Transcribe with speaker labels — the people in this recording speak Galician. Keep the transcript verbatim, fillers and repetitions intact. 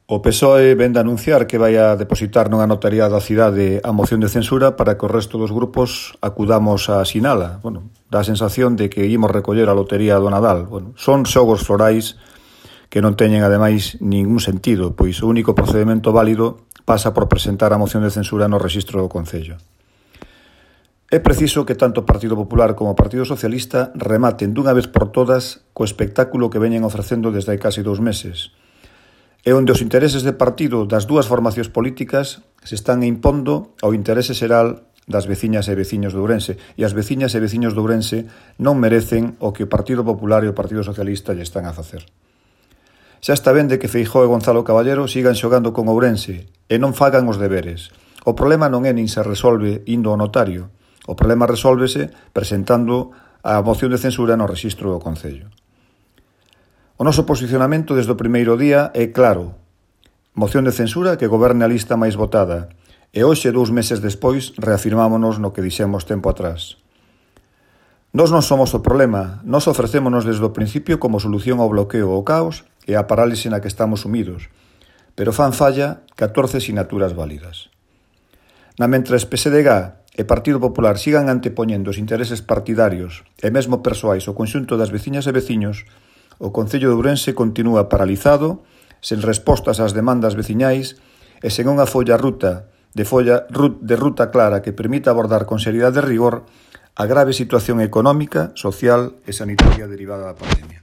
Speaker 1: O P S O E vén de anunciar que vai a depositar nunha notaría da cidade a moción de censura para que o resto dos grupos acudamos a asinala. Bueno, dá a sensación de que imos recoller a lotería do Nadal. Bueno, son xogos florais que non teñen, ademais, ningún sentido, pois o único procedimento válido pasa por presentar a moción de censura no rexistro do Concello. É preciso que tanto o Partido Popular como o Partido Socialista rematen dunha vez por todas co espectáculo que veñen ofrecendo desde hai casi dous meses, e onde os intereses de partido das dúas formacións políticas se están impondo ao interese xeral das veciñas e veciños de Ourense, e as veciñas e veciños de Ourense non merecen o que o Partido Popular e o Partido Socialista lle están a facer. Xa está ben de que Feijóo e Gonzalo Caballero sigan xogando con Ourense e non fagan os deberes. O problema non é nin se resolve indo ao notario, o problema resólvese presentando a moción de censura no rexistro do Concello. O noso posicionamento desde o primeiro día é claro. Moción de censura que goberne a lista máis votada. E hoxe, dous meses despois, reafirmámonos no que dixemos tempo atrás. Nós non somos o problema, nós ofrecémonos desde o principio como solución ao bloqueo, ao caos e á parálise na que estamos sumidos. Pero fan falla catorce sinaturas válidas. Na mentres P S D G e Partido Popular sigan antepoñendo os intereses partidarios e mesmo persoais ao conxunto das veciñas e veciños, o Concello de Ourense continúa paralizado, sen respostas ás demandas veciñais e sen unha folla ruta de, folla, de ruta clara que permita abordar con seriedade e rigor a grave situación económica, social e sanitaria derivada da pandemia.